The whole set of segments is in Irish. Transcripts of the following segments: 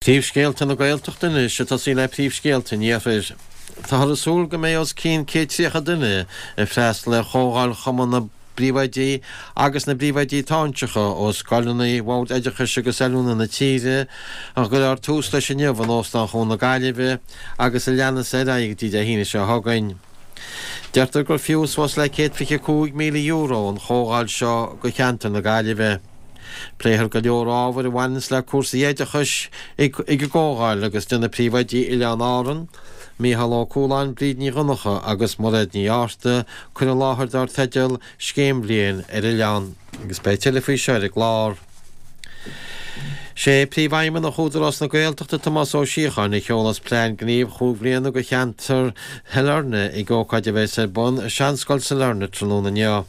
Príomhscéalta na Gaeltachta anois, ag tosaí le príomhscéalta an Iarthair. Táthar ag súil go mbeidh os cionn 130 duine ag freastal ar chomhdháil Chumann na bPríomhoidí agus na bPríomhoidí Táinseacha ó scoileanna Bhord Oideachais agus Oiliúna na tíre, a gcuirfear tús leis inniu in Óstán Chuan na Gaillimhe agus a leanas ar aghaidh go dtí Dé hAoine seo chugainn. Deirtear gur fiú suas le €125,000 an chomhdháil seo go cheantar na Gaillimhe. Pléifear go leor ábhair a bhaineanns le cúrsaí oideachais ag an gcomhdháil agus déanfaidh príomhoidí Oileáin Árann, Mícheál Ó Cualáin, Bríd Ní Dhonncha agus Mairéad Ní Fhátharta cur i láthair dar teideal Scéim Bhliain ar Oileán agus beidh tuilleadh faoi seo ar an gclár. Sé Príomhfheidhmeannach Údarás na Gaeltachta Tomás Ó Síocháin a sheolas plean gnímh chúig bhliana do cheantar Shailearna ag ócáid a bheas ar bun i Seanscoil Sailearna tráthnóna inniu.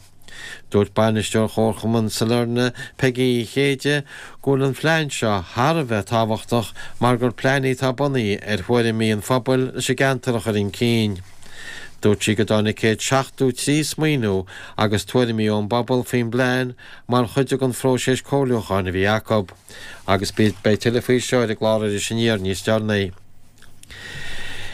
Dúirt Bainisteoir Chomharchumann Sailearna, Peigí Uí Chéide, go bhfuil an phlean seo thar a bheith tábhachtach mar gur plean é atá bunaithe ar thuairimí an phobail leis an gceantar a chur chun cinn. Dúirt sí go dtáinig 173 smaoineamh agus tuairimí ón bpobal faoin bplean mar chuid den phróiseas comhairliúcháin a bhí acu. Agus beidh tuilleadh faoi seo ar an gclár Iris Aniar níos deireanaí.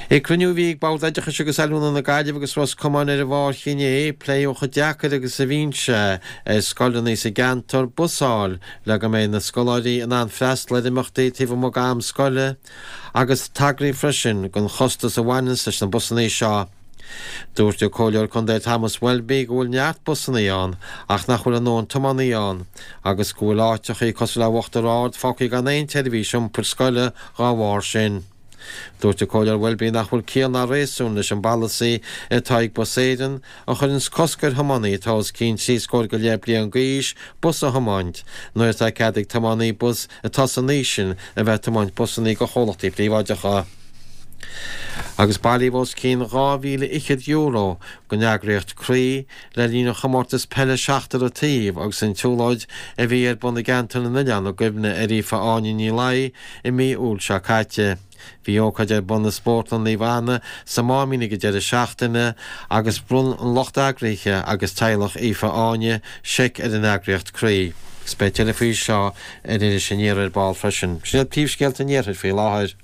Ag cruinniú a bhí ag Bord Oideachais agus Oiliúna na Gaillimhe agus Ros Comáin ar an Mháirt inné, pléadh chomh deacair agus a bhíonn sé ar scoileanna sa gceantar bus a fháil le go mbeidh na scoláirí in ann freastal ar imeachtaí taobh amuigh d'am scoile agus tagraíodh freisin don chostas a bhaineanns leis na busanna seo. Dúirt an Comhairleoir Contae Thomas Welby go bhfuil neart busanna ann ach nach bhfuil a ndóthain tiománaí ann agus go bhfuil áiteachaí cosúil le Uachtar Ard fágtha gan aon tseirbhís iompair scoile dhá bharr sin. Dúirt an Comhairleoir Welby nach bhfuil ciall ná réasún leis an bpolasaí atá ag Bus Éireann a chuireanns cosc ar thiománaí atá os cionn 30 scór go leith bliain d'aois bus a thiomáint nuair atá cead ag tiománaí bus atá san aois sin a bheith ag tiomáint busannaí do chomhlachtaí príobháideacha. Agus bailíodh os cionn €2,000 don eagraíocht Croí le linn an chomórtas peile seachtar an taobh agus an tsiúlóid a bhí ar bun i gCeantar na nOileán i gcuimhne ar Aoife Áine Ní Laoi i mí Iúil seo caite. Bhí ócáid ar bun i Spórtlann Naomh Anna sa Máimín ag an deireadh seachtaine agus bhronn an lucht eagraithe agus teaghlach Aoife Áine seic ar an eagraíocht Croí. Agus beidh tuilleadh faoi seo ar Iris Aniar ar ball freisin. Sin iad príomhscéalta an Iarthair faoi láthair.